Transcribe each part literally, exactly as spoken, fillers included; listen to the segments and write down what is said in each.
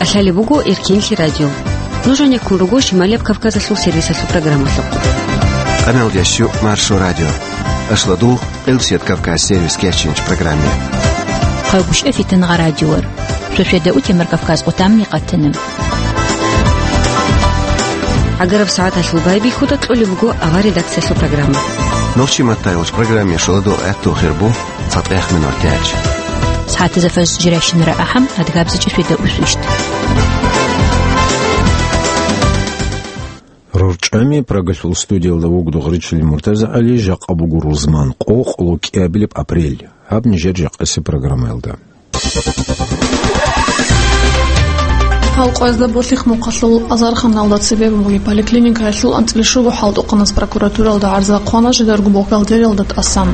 КӀалъалеб буго Эркенлъи радио. Нуж гьанеккун руго Шималияб Кавказалъул сервисалъул программалъухъ. Къаналдящу Маршо радио. Ашладул Элсет Кавказ сервис кечинч программе. Хъайбушев Фитангъа радиор. Шошеда утемар Кавказ къутамни къатана. Агараб сагӀаталъул байбихьуда кьолеб буго авар редакциялъул программа. Нохчи маттайолч программе шоладо этту хирбу. ЦатӀехмин ватяч. СагӀатазда фажр жирайщинара ахӀам, адгабзичӀи шведа усвищт. РорчӀами Прагалъул студиялда вугдугъ ричили МуртазагӀали, жакъа буго рузман къо, къоло кӀиабилеб апрель. Гьаб нижер жакъасеб программаялда. Халкъоязда Болъихъ-Мухъалъул азарханалда цебе бугеб поликлиникаялъул анцӀила щуго хӀалтӀухъанас прокуратуралда гӀарза хъвана жидарго бухгалтериялда тӀасан.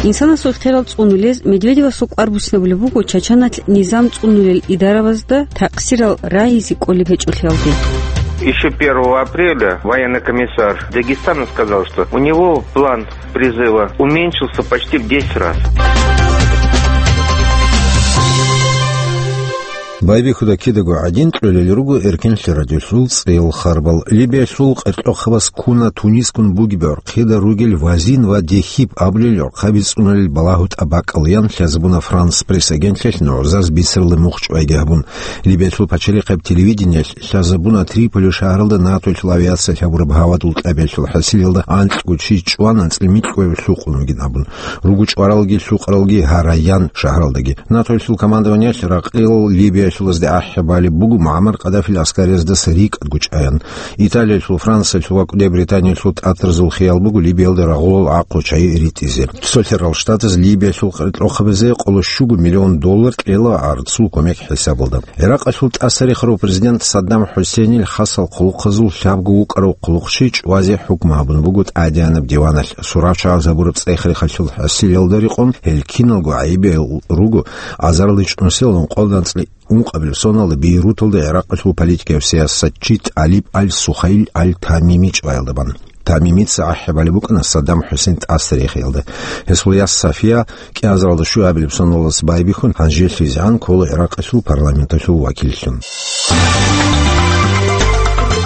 Инсанасул ихтиярал цӀунулез Медведевасул кӀвар буцинабулеб буго Чачаналъ низам цӀунулел идаравазда такъсирал рагьизе кӀолеб гьечӀолъиялде. Ещё первого апреля военный комиссар Дагестана сказал, что у него план призыва уменьшился почти в десять раз. Байбихьуда кидаго гӀадин кьолел руго Эркенлъи радиолъул цӀел харбал. Либиялъул къеркьохъабаз ккуна Тунискун бугеб гӀорхъида ругел Вазин ва Дехиб абулел гӀорхъаби цӀунулел балагьу тӀабакӀал ян лъазабуна Франс пресс-агентлъиялъ нугӀзаз бицаралда мухъ чӀвайги гьабун. Либиялъул пачалихъаб телевидениялъ лъазабуна Триполи шагьаралда НАТОялъул авиация лъабураб гьавадул кьабиялъул хӀасилалда анкьго чи чӀван анцӀила микьго лъукъун вугин абун. Руго чӀваралги лъукъаралги гьараян шагьаралдаги. НАТОялъул командованиялъ ракъил Либиялъулазде ахӀи балеб буго Муаммар Каддафил аскариязда рикӀкӀад гучӀаян. Италиялъул, Франциялъул ва кӀудияб Британиялъул тӀатаразул хиял буго Либиялда рагъулал гӀахъу чагӀи ритӀизе. Цолъарал Штатаз Либиялъул къеркьохъабазе къоло щуго миллион доллар кьела гӀарцул кумек хӀисабалда. ГӀиракъалъул тӀасарихарав президент Саддам ХӀусейнил хасал хъулухъазул лъабго вукӀарав хъулухъчи чӀвазе хӀукму гьабун буго тӀадегӀанаб диваналъ. Сурачагъаз гьабураб цӀех-рехалъул хӀасилалда рекъон гьел киналго гӀайибиял руго азарилъ чӀунсилалда ункъоялда анцӀила ункъабилеб соналда Бейруталда ГӀиракъалъул политикияв сиясатчи ТӀалиб аль-Сухаил аль-Тамими чӀваялда бан. Тамимица ахӀи балеб букӀана Саддам ХӀусейн тӀасарихиялда. Гьесул яс Сафия кӀиазаралда щуабилеб соналдаса байбихьун, гьанжелъизегӀан ккола ГӀиракъалъул парламенталъул вакиллъун.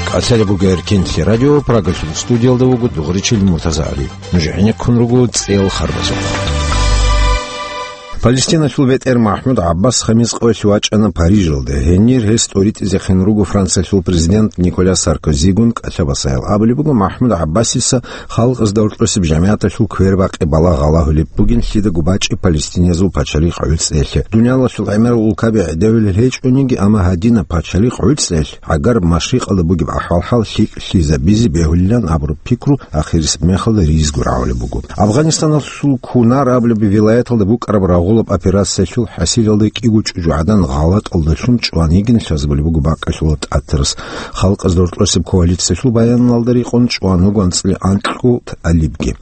КӀалъалеб буго Эркенлъи радио, Прагалъул студиялда вуго дугъричил МуртазагӀали. Нуж гӀенеккун руго цӀел харбазухъ. Палестиналъул бетӀер МахӀмуд ГӀаббас хамис къоялъ вачӀана Парижалде. Гьенир гьес тӀоритӀизехъин руго Франциялъул президент Николя Саркозигун кӀалъабасаял. Абулеб буго, МахӀмуд ГӀаббасица халкъазда гьоркьосеб жамигӀаталъул квербакъи балагь гьалагьулеб бугин лъидаго бачӀи палестиниязул пачалихъ гӀуцӀиялъе. Дуниялалъул гӀемерал улкаби гӀедевилел гьечӀониги, амма гьадинаб пачалихъ гӀуцӀиялъ гӀагараб машрикъалда бугеб ахӀвал-хӀал лъикӀлъизабизе бегьулилан абураб пикру ахирисеб мехалда ризго рагӀулеб буго. Афганистаналъул Кунар абулеб вилаяталда букӀараб рагъулаб операциялъул хӀасилалда кӀиго чӀужугӀадан гъалатӀалдалъун чӀван йигин лъазабулеб буго бакӀалъулаб тӀатарас. Халкъазда гьоркьосеб коалициялъул баяналда рекъон чӀван вуго анцӀила анкьго тӀалибги.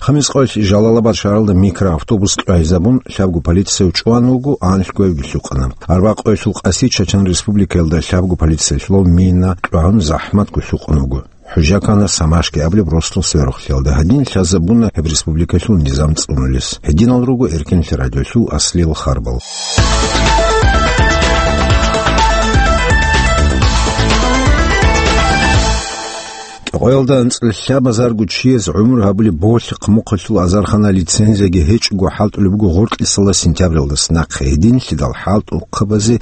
Хамис къоялъ Жалалабад шагьаралда микроавтобус кьвагьизабун, лъабго полицияв чӀван вуго, анлъгоявги лъукъана. Арбакъоялъул къаси Чачан Республикаялда лъабго полициялъулав мина кьвагьун захӀматго лъукъун вуго. ХӀужа ккана Самашки абулеб росдал сверухълъиялда. Гьадин лъазабуна гьеб республикалъул низам цӀунулес. Гьединал руго Эркенлъи радиолъул аслиял харбал. Къоялда анцӀила лъабазарго чияс гӀумру гьабулеб Болъихъ-Мухъалъул азархана лицензияги гьечӀого хӀалтӀулеб буго гъоркьисала сентябралдаса нахъе. Гьединлъидал хӀалтӀухъабазе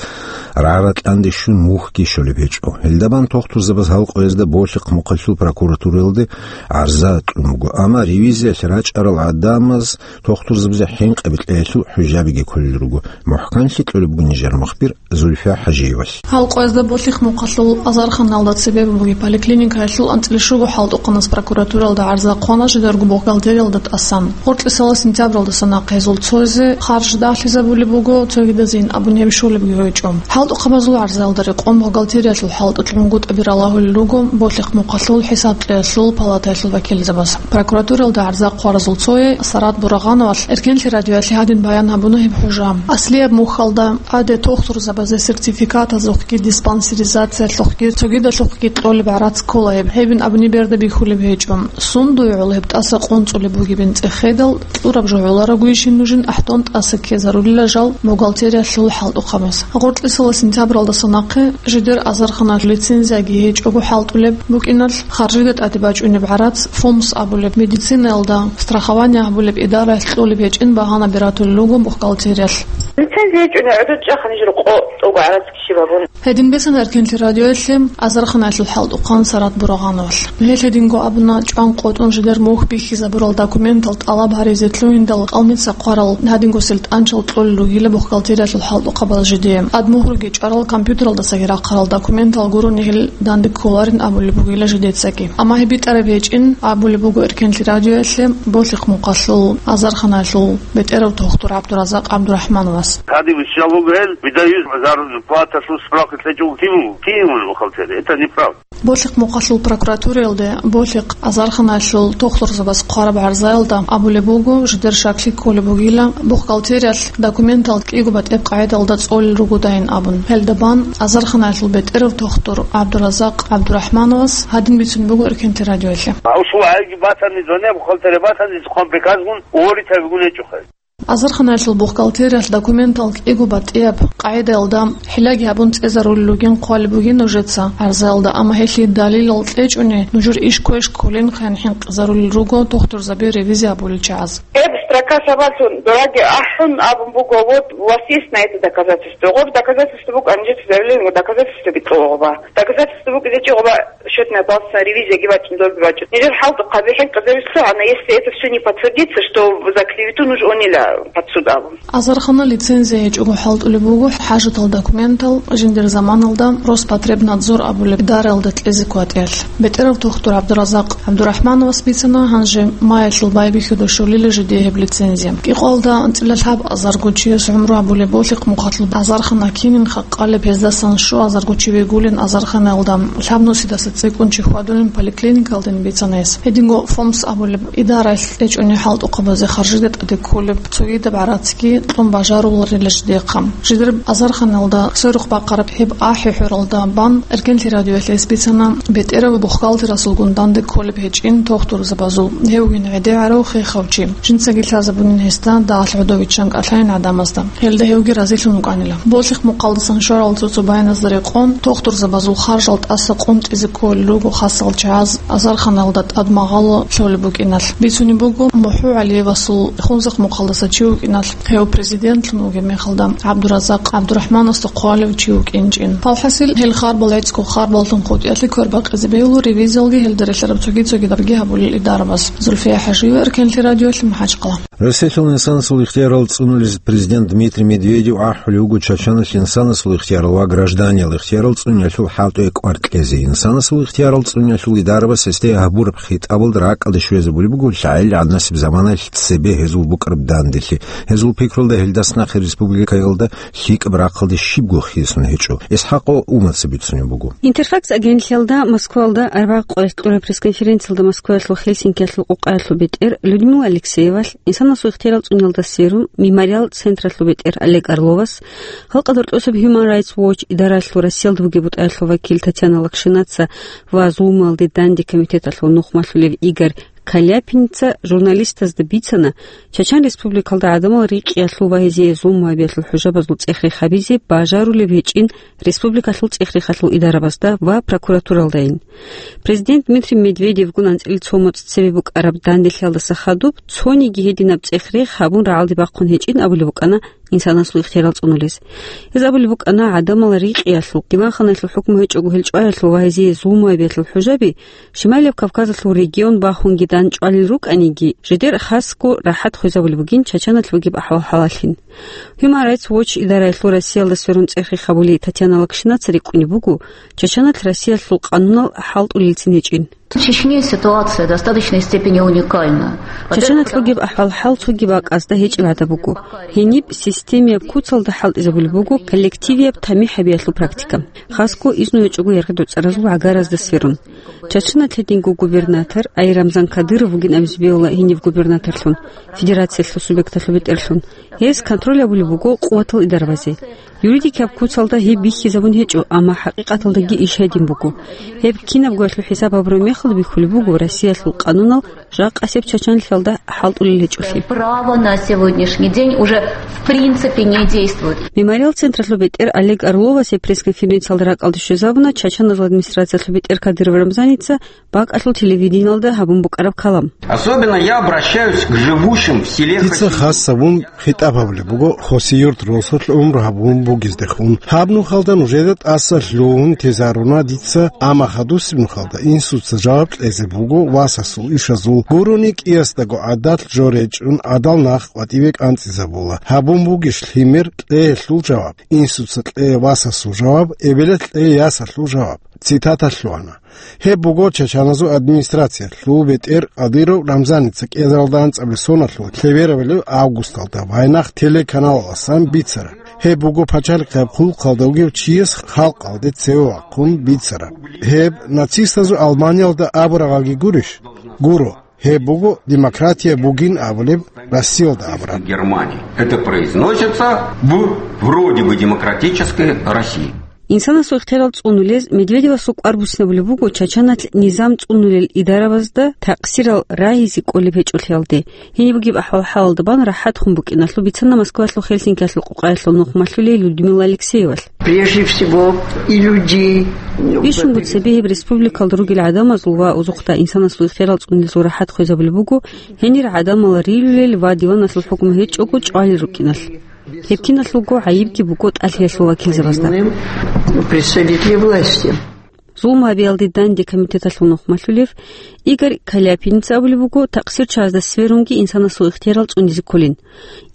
рагӀра-кьанде щун мухьги щолеб гьечӀо. Гьелдабан тохтурзабаз гьал къоязда Болъихъ-Мухъалъул прокуратуралде гӀарза кьун буго, амма ревизиялъ рачӀарал гӀадамаз тохтурзабазе хӀинкъи бетӀеялъул хӀужабиги кколел руго. МухӀканлъи кьолеб буго нижер мухбир Зульфия ХӀажиевалъ. Гьал къоязда Болъихъ-Мухъалъул азарханалда цебе бугеб поликлиникаялъул анцӀила щуго хӀалтӀухъанас прокуратуралда гӀарза хъвана жидарго бухгалтериялда тӀасан. Гъоркьисала сентябралдаса нахъе гьезул цоязе харж дагьлъизабулеб буго, цогидазейин абун гьеб щолебги гьечӀо. ХӀалтӀухъабазул гӀарзаялда рекъон бухгалтериялъул хӀалтӀулъ мугъ тӀаби ралагьулел руго Болъихъ-Мухъалъул хӀисаб кьеялъул палатаялъул вакилзабаз. Прокуратуралда гӀарза хъваразул цое Сарат Бурагъановалъ Эркенлъи радиоялъе гьадин баян гьабуна гьеб хӀужа. Аслияб мухьалда гӀаде тохтурзабазе сертификатазухъги, диспансеризациялъухъги, цогидалъухъги кьолеб гӀарац ккола гьеб. Гьебин Гьабни берда бихьулеб гьечӀо. Сундуе гӀоло гьеб тӀаса къунцӀулеб бугебин цӀехедал, кьураб жо гӀоларогойищин нужин ахӀдон тӀаса ккезарулила жал бухгалтериялъул хӀалтӀухъабаз. Гъоркьисала сентябралдаса нахъе жидер азарханалъул лицензияги гьечӀого хӀалтӀулеб букӀиналъ, харжида тӀаде бачӀунеб гӀарац, ФОМС абулеб, медицинаялда страхование гьабулеб идараялъ кьолеб гьечӀин багьанаби ратулел руго бухгалтериялъ. Лицензия гьечӀони гӀодов чӀаха нижер къо тӀугӀ гӀарац ккезе бегьун. Гьедин бицана Эркенлъи радиоялъе азарханалъул хӀалтӀухъан Сарат Бурагъановалъ. Гьелъ гьединго абуна, чӀван къотӀун жидер мухь бихьизабурал документал тӀалаб гьаризе лъугьиндал къалмица хъварал гьадинго силтӀанчал кьолел ругила бухгалтериялъул хӀалтӀухъабаз жидее. ТӀадмугьруги чӀварал компьютералдасаги рахъарал документал гурони гьел данде кколарин абулеб бугила жидецаги. Амма гьеб битӀараб гьечӀин абулеб буго Эркенлъи радиоялъе Болъихъ мухъалъул азарханалъул бетӀерав тухтур ГӀабдуразакъ ГӀабдурахӀмановас. Гьадин виччал вуго гьел, видаюсь, зарплаталъул справка лъечӀого кин вуго, кин вуго бухгалтер. Это неправда. Болъихъ мухъалъул прокуратураялде Болъихъ азарханалъул тухтурзабаз хъвараб гӀарзаялда абулеб буго, жидер щаклъи кколеб бугила, бухгалтериялъ документал кӀиго батӀеб къагӀидаялда цӀолел ругодайин абун. Гьелда бан азарханалъул бетӀерав тухтур ГӀабдуразакъ ГӀабдурахӀмановас гьадин бицунеб буго Эркенлъи радиоялъе. Гьав щула гӀайги батани, зоне бухгалтерия батани, хъван приказгун, уволить гьавигун гьечӀо хай. Азарханалъул бухгалтериялъ документал кӀиго батӀияб къагӀидаялда хӀиллаги гьабун цӀезарулел ругин хъвалеб бугин нужеца гӀарзаялда, амма гьелъие далилал кьечӀони, нужер иш квеш кколин хъен хӀинкъизарулел руго тухтурзаби ревизия гьабулел чагӀаз. Гьеб строка сабаблъун дораги ахӀун абун буго, вот, у вас есть на это доказательство? Гъор доказательство букӀан, жеца заявление, доказательство битӀула гъоба. Доказательство букӀизе чи гъоба счётная палата ревизияги бачӀун, долги бачӀун. Нижер хӀалтӀухъаби хӀинкъизарулъ лъугьана, если это всё не подтвердится, что за клевету нуж онила под суд абун. Азархана лицензия гьечӀого хӀалтӀулеб буго хӀажатал документал жиндир заманалда Роспотребнадзор абулеб идараялда кьезе кватӀиялъ. БетӀерав тухтур ГӀабдуразакъ ГӀабдурахӀмановас бицана, гьанже маялъул байбихьуда щолила жидее гьеб лицензия. КӀикъоялда анцӀила лъабазарго чияс гӀумру гьабулеб Болъихъ мухъалъул азархана кинин хакъалеб, гьездасан щуазарго чи вегулин азарханаялда, лъабнусидаса цӀикӀкӀун чи хьвадулин поликлиникалдин бицана гьес. Гьединго ФОМС абулеб идараялъ кьечӀони хӀалтӀухъабазе харжида тӀаде кколеб цогидаб гӀарацги кьун бажаруларила жидехъа. Жидер азарханалда сверухъ бахъараб гьеб ахӀи-хӀуралда бан Эркенлъи радиоялъ гьес бицана бетӀерав бухгалтерасулгун данде кколеб гьечӀин тухтурзабазул, гьевгин гӀедегӀарав хехав чи. Жинцаги лъазабунин гьесда дагьалъ гӀодов виччан кӀалъайин гӀадамазда. Гьелда гьевги разилъун вукӀанила. Болъихъ мухъалдасан щварал цо-цо баяназда рекъон, тухтурзабазул харжал тӀаса къунтӀизе кколел руго хасал чагӀаз азарханалда тӀад магъало лъолеб букӀиналъ. Бицунеб буго МухӀу ГӀалиевасул Хунзахъ мухъалдаса чи вукӀиналъ, гьев президентлъун вугеб мехалда ГӀабдуразакъ ГӀабдурахӀмановасда хъвалев чи вукӀинчӀин. Палхасил гьел харбал гӀецӀго харбаллъун хутӀиялъе квербакъизе бегьула, ревизиялги гьелда релълъараб цоги-цогидабги гьабулел идарабаз. Зульфия ХӀажиева, Эркенлъи радиоялъ, МахӀачхъала. Росеталъул инсанасул ихтиярал цӀунулез президент Дмитрий Медведев ахӀулев вуго Чачаналъ инсанасул ихтиярал ва гражданиял ихтиярал цӀуниялъул хӀалтӀуе кӀвар кьезе. Инсанасул ихтиярал цӀуниялъул идарабас гьесде гьабураб хитӀабалда ракӀалде щвезабулеб буго лъагӀел гӀаднасеб заманалъ цебе гьезул букӀараб данделъи. Гьезул пикрулда гьелдас нахъе республикаялда лъикӀаб рахъалде щибго хисун гьечӀо. ИсхӀакъ Умаца бицунеб буго. Интерфакс агентлъиялда Москваялда арбагъ къоялъ кьураб пресс-конференциялда Москваялъул Хельсинкиялъул къокъаялъул бетӀер Людмила Алексеевалъ, инсанасул ихтиярал цӀуниялда серум, Мемориал центрлъул бетӀер Олег Орловас, халкъалда рокьосаб Human Rights Watch идаралъул Россиялда бугеб бутӀаялъул вакил Татьяна Локшинаца ва зулмуялде данде комитеталъул нухмалъулев Игорь Каляпинца журналистазда бицана, Чачан Республикалда гӀадамал рикъиялъул ва гьезие зулму гьабиялъул хӀужабазул цӀех-рех гьабизе бажарулеб гьечӀин республикалъул цӀех-рехалъул идарабазда ва прокуратуралдайин. Президент Дмитрий Медведевгун анцӀила цо моцӀ цебе букӀараб данделъиялдаса хадуб цониги гьединаб цӀех-рех гьабун рагӀалде бахъун гьечӀин абулеб букӀана инсанасул ихтиярал цӀунулез. Гьез абулеб букӀана, гӀадамал рикъиялъул, диванханалъул хӀукму гьечӀого гьел чӀваялъул ва гьезие зулму гьабиялъул хӀужаби Шималияб Кавказалъул регион бахунги дандчӀвалел рукӀаниги, жидер хасго рахӀат хвезабулеб бугин Чачаналъ бугеб ахӀвал-хӀалаллъин. Human Rights Watch идараялъул Россиялда сверун цӀех-рех гьабулей Татьяна Локшинаца рикӀкӀунеб буго, Чачаналъ Россиялъул къанунал хӀалтӀулелцин гьечӀин. В Чечне ситуация в достаточной степени уникальна. Чачаналъ бугеб ахӀвал-хӀал цоги бакӀазда гьечӀеб гӀадаб буго. Гьениб системияб куцалда хӀалтӀизабулеб буго коллективияб тамихӀ гьабиялъул практика, хасго изну гьечӀого яргъи-дуцӀаразул гӀагаразда сверун. Чачаналъ гьединго губернатор, ай Рамзан Кадыров вугин абизе бегьула гьенив губернаторлъун, федерациялъул субъекталъул бетӀерлъун. Гьес контроль гьабулеб буго къуватал идарабазе. Юридикаб куцалда гьеб бихьизабун гьечӀо, амма хӀакъикъаталдаги иш гьедин буго. Гьеб кинабгоялъул хӀисаб гьабураб мехалда бихьулеб буго Россиялъул къанунал жакъасеб чачанлъиялда хӀалтӀулел гьечӀолъи. Право на сегодняшний день уже в принципе не действует. Мемориал централъул бетӀер Олег Орловасе пресс-конференциялда ракӀалде щвезабуна Чачаназул администрациялъул бетӀер Кадыров Рамзаница бакӀалъул телевидениялда гьабун букӀараб калам. Особенно я обращаюсь к живущим в селе Хасиюрт. Дица хас гьабун хитӀаб гьабулеб буго Хасиюрт росулъ гӀумру гьабун бугездехун. Гьаб нухалда нужеда тӀаса лъугьун тезаруна дица, амма хадусеб нухалда инсуца жаваб кьезе буго васасул ишазул. Гурони кӀиясдаго гӀадат жо речӀун гӀадал нах къватӀиве кӀанцӀизабула. Гьабун бугищ лъимер кьеялъул жаваб, инсуца кье васасул жаваб, эбелалъ кье ясалъул жаваб. Цитата лъугьана. Гьеб буго Чачаназул администрациялъул бетӀер Кадыров Рамзаница кӀиазаралда анцӀабилеб соналъул лъеберабилеб августалда Вайнах телеканалаласан бицараб. Гьеб буго пачалихъаб хъулухъалда вугев чияс халкъалде цеве вахъун бицараб. Гьеб нацистазул Албаниялда абураб гьаги гурищ? Гуро. Гьеб буго демократия бугин абулеб Россиялда абураб. Германии. Это произносится в вроде бы демократической России. Инсанасул ихтиярал цӀунулез Медведевасул кӀвар буссинабулеб буго Чачаналъ низам цӀунулел идарабазда такъсирал рагьизе кӀолеб гьечӀолъиялде. Гьениб бугеб ахӀвал-хӀалалда бан рахӀатхун букӀиналъул бицана Москвалъул Хельсинкиялъул къукъаялъул нухмалъулей Людмила Алексеевалъ. Прежде всего, и людей. Бищунго цебе гьеб республикалда ругел гӀадамазул ва узухъда инсанасул ихтиярал цӀунилезул рахӀат хвезабулеб буго гьенир гӀадамал рилулел ва диваналъул хӀукму гьечӀого чӀвалел рукӀиналъ. Гьеб киналъулго гӀайибги буго тӀалъиялъул вакилзабазда. Представители власти. Зулму гьабиялде данде комитеталъул нухмалъулев Игорь Каляпиница абулеб буго, такъсирчагӀазда сверунги инсанасул ихтиярал цӀунизе кколин.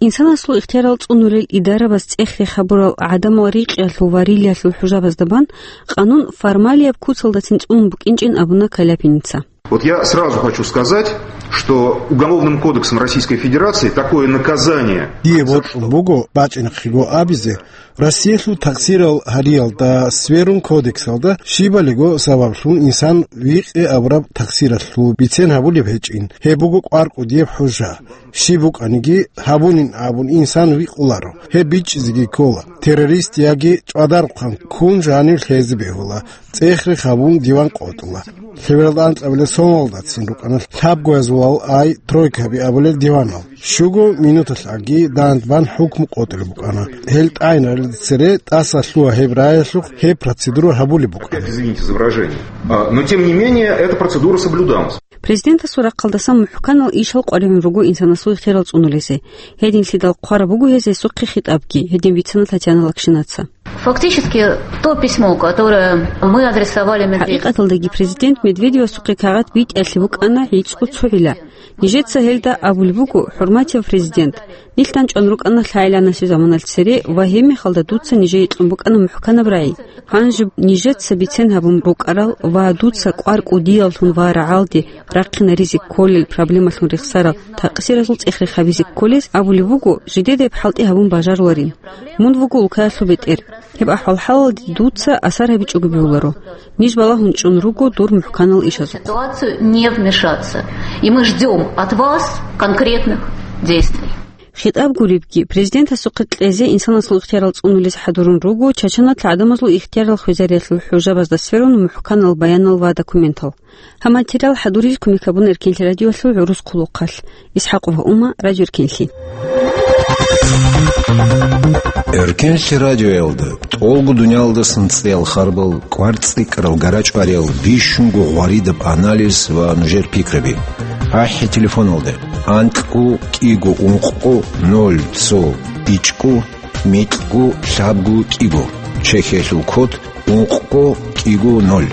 Инсанасул ихтиярал цӀунулел идарабаз цӀех-рех гьабурал гӀадамал рикъиялъул ва рилиялъул хӀужабазда бан къанун формалияб куцалдацин цӀунун букӀинчӀин абуна Каляпиница. Вот я сразу хочу сказать, что Уголовным кодексом Российской Федерации такое наказание. Дие бокьун буго бачӀинахъего абизе, Россиялъул такъсирал гьариялда сверун кодексалда щибалиго сабаблъун инсан викъи абураб такъсиралъул бицен гьабулеб гьечӀин. Гьеб буго кӀвар кӀудияб хӀужа. Щиб букӀаниги гьабунин абун инсан викъуларо. Гьеб бичӀчӀизеги ккола. Террорист яги чӀвадарухъан ккун жанив лъезе бегьула. ЦӀех-рех гьабун диван къотӀула. Лъебералда анкьабилеб соналдацин рукӀана лъабгоязулал ай тройкаби абулел диванал. Щуго минуталъ аги дандбан хӀукму къотӀулеб букӀана. Гьел тӀайнаралде цере тӀаса лъугьа гьеб раялъухъ гьеб процедура гьабулеб букӀана. Извините за выражение. А, но тем не менее, эта процедура соблюдалась. Президентасул рахъалдасан мухӀканал ишал къваригӀун руго инсанасул ихтиярал цӀунулезе. Гьединлъидал хъвараб буго гьез гьесухъе хитӀабги, гьедин бицана Татьяна Лакшинаца. Фактически, то письмо, которое мы адресовали Медведеву. ХӀакъикъаталдаги президент Медведевасухъе кагъат битӀиялъе букӀана гӀицӀго цогӀила. Нижеца гьелда абулеб буго, хӀурматияв президент, нилъ дандчӀван рукӀана лъагӀел-гӀанасеб заманалъ цере ва гьебмехалда дуца нижее кьун букӀана мухӀканаб рагӀи. Гьанже нижеца бицен гьабун рукӀарал ва дуца кӀвар кӀудияллъун ва рагӀалде рахъинаризе кколел проблемалъун рехсарал такъсиразул цӀех-рех гьабизе кколез абулеб буго, жидеда гьеб хӀалтӀи гьабун бажаруларин. Мун вуго улкаялъул бетӀер. Гьеб ахӀвал-хӀалалде дуца асар гьабичӀого бегьуларо. Ниж балагьун чӀун руго дур мухӀканал ишазухъ. Ситуацию не вмешаться. И мы ждём от вас конкретных действий. ХитӀаб гуребги, президентасухъе кьезе инсанасул ихтиярал цӀунулес хӀадурун руго Чачаналъ гӀадамазул ихтиярал хвезариялъул хӀужабазда сверун мухӀканал баянал ва документал. Гьаб материал хӀадурил кумек гьабун Эркенлъи радиоялъул гӀурус хъулухъалъ. Исхакова Ума, Радио Эркенлъи. Эркенлъи радиоялда тӀолго дуниялдасан цӀеял харбал, кӀвар цӀикӀкӀарал гарачӀвариял, бищунго гъваридаб анализ ва нужер пикраби. АхӀи телефоналда: анкьго кӀиго ункъго ноль цо ичӀго микьго лъабго кӀиго. Чехиялъул код ункъго кӀиго ноль.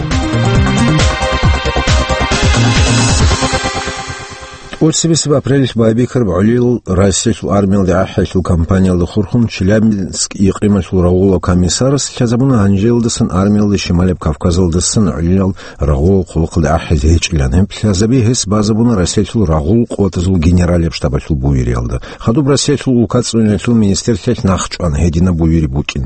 ТӀоцебесеб апрелалъ байбихьараб гӀолилал Россиялъул армиялде ахӀиялъул кампаниялда хурхун Челябинск икъималъул рагъулаб комиссарас лъазабуна гьанжеялдасан армиялда Шималаб Кавказалдасан гӀолилал рагъулал хъулухъалде ахӀизе гьечӀилан. Гьеб лъазаби гьес базабуна Россиялъул рагъул къотӀазул генералияб штабалъул буюриялда. Хадуб Россиялъул улка цӀуниялъул министрлъиялъ нахчӀван гьединаб буюри букӀин.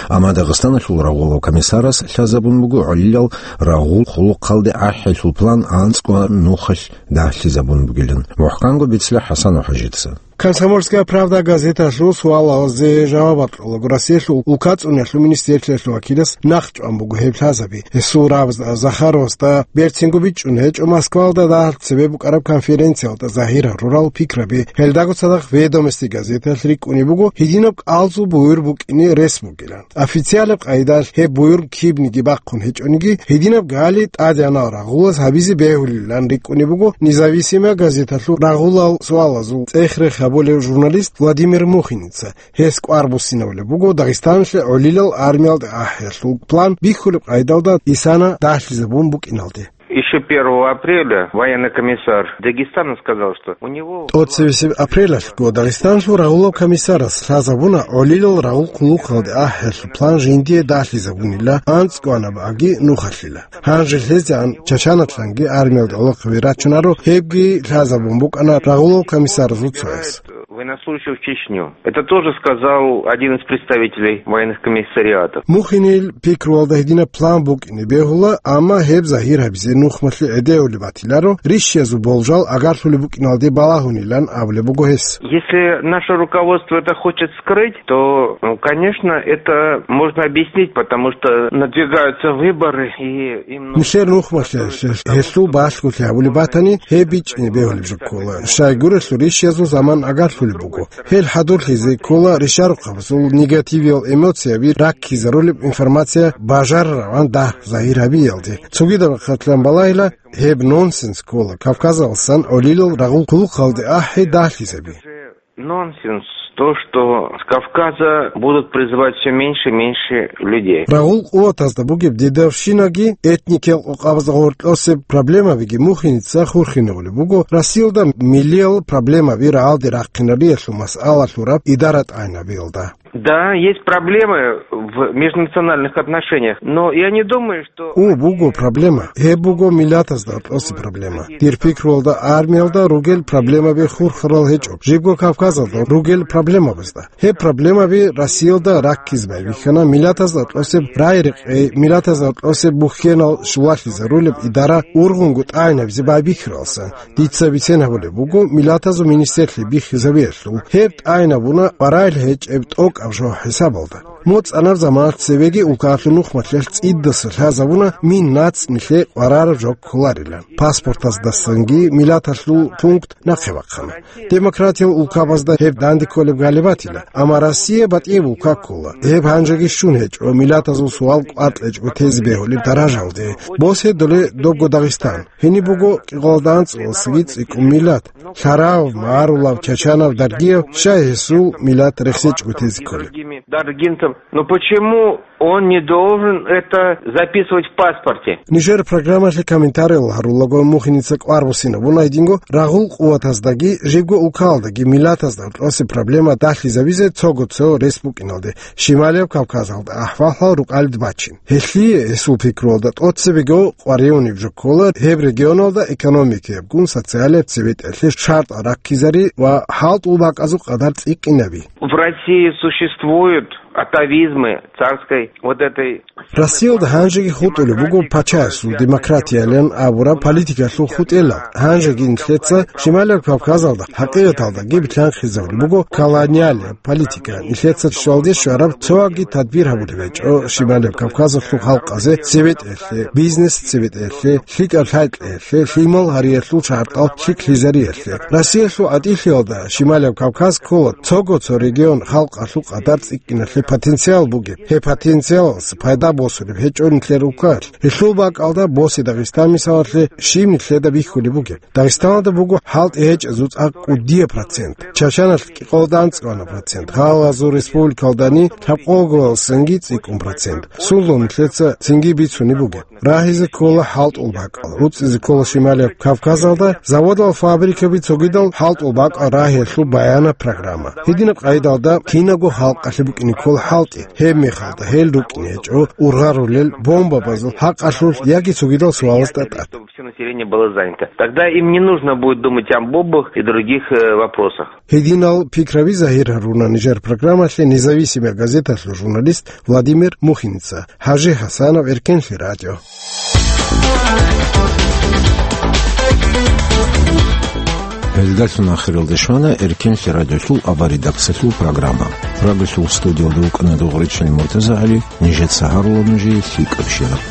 Амма Дагъистаналъул рагъулав комиссарас лъазабун буго гӀолилал рагъул хъулухъалде ахӀиялъул план анцӀго нухалъ дагьлъизабун бугилан. МухӀканго бицла ХӀасан ва ХӀажидаса. «Комсомольская правда» газеталъул суалалазе жаваб гьабулаго Россиялъул улкацӀунелъул министрлъиялъул вакилас нахъчӀван буго гьеб лъазаби. Гьесул рагъабазда Захаровасда берцинго бичӀчӀун гьечӀо Москваялда дагьалъ цебе букӀараб конференциялда загьир гьарурал пикраби. Гьелдаго цадахъ «Ведомости» газеталъ рикӀкӀунеб буго гьединаб кӀалзул буюр букӀине рес бугилан. Официалаб къайдалъ гьеб буюр кибниги бахъун гьечӀониги, гьединаб гали тӀадегӀанал рагъулаз гьабизе бегьулилан рикӀкӀунеб буго «Независимая» газеталъул рагъулал суалазул цӀех-рех гьабулев журналист Владимир Мухиница. Гьес кӀвар буссинабулеб буго Дагъистаналъе гӀолилал армиялде ахӀиялъул план бихьулеб къайдалда исана дагьлъизабун букӀиналде. Ещё первого апреля военный комиссар Дагестана сказал, что у него... ТӀоцебесеб апрелалъго Дагъистаналъул рагъулаб комиссарас лъазабуна гӀолилал рагъул хъулухъалде ахӀиялъул план жиндие дагьлъизабунила, анцӀгоанаб аги нухалъила. Гьанже лъезегӀан Чачанатлъанги армиялде гӀолохъаби рачунаро, гьебги лъазабун букӀана рагъулал комиссаразул цояс. Военнослужащих в Чечню. Это тоже сказал один из представителей военных комиссариатов. Мухинил пикруялда гьединаб план букӀине бегьула, амма гьеб загьир гьабизе нухмалъи гӀедегӀулеб батиларо, рищиязул болжал агарлъулеб букӀиналде балагьунилан абулеб буго гьес. Если наше руководство это хочет скрыть, то, ну, конечно, это можно объяснить, потому что надвигаются выборы, и им нужно... Нилъер нухмалъи гьелъул балъголъи гьабулеб батани, гьеб бичӀчӀине бегьулеб жо ккола. Щайгурелъул рищиязул заман агарлъулеб буго. Гьел хӀадурлъизе ккола ришарухъабазул негативиял эмоцияби раккизарулеб информация бажарараван дагь загьир гьабиялде. Цогидаб рахъалъан балагьила, гьеб нонсенс ккола Кавказалдасан гӀолилал рагъул хъулухъалде ахӀи дагьлъизаби. Нонсенс то, что с Кавказа будут призывать всё меньше и меньше людей. Рагъул къуватазда бугеб дедовщинаги, этникиял къокъабазда гъоркьосеб проблемабиги Мухиница хурхинавулеб буго Россиялда миллиял проблемаби рагӀалде рахъинариялъул масъала лъураб идара тӀагӀинабиялда. Да, есть проблемы в межнациональных отношениях, но я не думаю, что... О, буго проблема. Гьеб буго миллатазда гьоркьоса проблема. Дир пикруялда, армиялда ругел проблемаби хурхарал гьечӀо, жибго Кавказалда ругел проблемабазда. Гьеб проблемаби Россиялда раккизе байбихьана миллатазда гьоркьосеб рагӀи-рекъей, миллатазда гьоркьосеб бухьенал щулалъизарулеб идара ургъунго тӀагӀинабизе байбихьаралсан. Дица бицен гьабулеб буго миллатазул министрлъи бихьизабиялъул. Гьеб тӀагӀинабуна къваригӀел гьечӀеб тӀокӀаб жо хӀисабалда. МоцӀанаб заманалъ цебеги улкаялъул нухмалъиялъ цӀидаса лъазабуна мин нацӀ нилъее къварараб жо кколарилан. Паспортаздасанги миллаталъул пункт нахъе бахъана. Демократиял улкабазда гьеб данде кколеб гали батила, амма Россия батӀияб улка ккола. Гьеб гьанжеги щун гьечӀо миллатазул суал кӀватӀ гьечӀого тезе бегьулеб даражалде. Босе доле добго Дагъистан. Гьениб буго кӀикъоялда анцӀгоялдасаги цӀикӀкӀун миллат: лъарав, магӀарулав, чачанав, даргияв, щай гьесул миллат рехсечӀого тезе кколеб? Даргинцев. Но почему он не должен это записывать в паспорте? Нижер программалъе комментариял гьарулаго Мухиница кӀвар буссинабуна гьединго рагъул къуватаздаги жибго улкаялдаги миллатазда гьоркьосе проблема дагьлъизабизе цого-цо рес букӀиналде, Шималияб Кавказалда ахӀвалал рукӀалде бачин. Гьелъие, гьесул пикруялда, тӀоцебего къваригӀунеб жо ккола гьеб регионалда экономикиябгун социалияб цебетӀелъе шартӀал раккизари ва хӀалтӀул бакӀазул къадар цӀикӀкӀинаби. В России существуют атавизмы царской вот этой... Россиялда гьанжеги хутӀулеб буго пачаясул демократиялъан абураб политикалъул хутӀелал. Гьанжеги нилъеца Шималияб Кавказалда хӀакъикъаталдаги билълъанхъизабулеб буго колониалияб политика. Нилъеца щвалде щвараб цоги тадбир гьабулеб гьечӀо Шималияб Кавказалъул халкъазе цебетӀелъе, бизнес цебетӀелъе, лъикӀаб лъай-кьеялъе, лъимал гьариялъул шартӀал лъикӀлъизариялъе. Россиялъул гӀатӀилъиялда Шималияб Кавказ ккола цого-цо регион халкъалъул къадар цӀикӀкӀиналъе потенциал бугеб. Гьеб потенциалалъ пайда босулеб гьечӀо нилъер улкаялъ. Гьелъул бакӀалда босе Дагъистан мисалалъе щиб нилъеда бихьулеб бугеб. Дагъистаналда буго хӀалтӀи гьечӀезул цӀакъ кӀудияб процент, Чачаналъ кӀикъоялда анцӀгоана процент, гьалазул республикалдани лъабкъоялдасанги цӀикӀкӀун процент. Сундул нилъеца цинги бицунеб бугеб. Рагьизе ккола хӀалтӀул бакӀал, руцӀцӀизе ккола Шималияб Кавказалда заводал, фабрикаби, цогидал хӀалтӀул бакӀал рагьиялъул баянаб программа. Гьединаб къайдалда кинабго халкъалъе букӀине ккола хӀалтӀи, гьеб мехалда гьел рукӀине гьечӀо ургъарулел бомбабазул хӀакъалъулъ яги цогидал суалазда тӀад. Всё население было занято. Тогда им не нужно будет думать о бомбах и других, э, вопросах. Гьединал пикраби загьир гьаруна нижер программалъе «Независимая газеталъул» журналист Владимир Мухиница. ХӀажи ХӀасанов, Эркенлъи радио. Гьелдалъун ахиралде щвана Эркенлъи радиолъул аваридакцалъул программа. Радиолъул студиялда вукӀана Дугъричин МуртазагӀали, нижеца гьарула нужее лъикӀаб щибаб.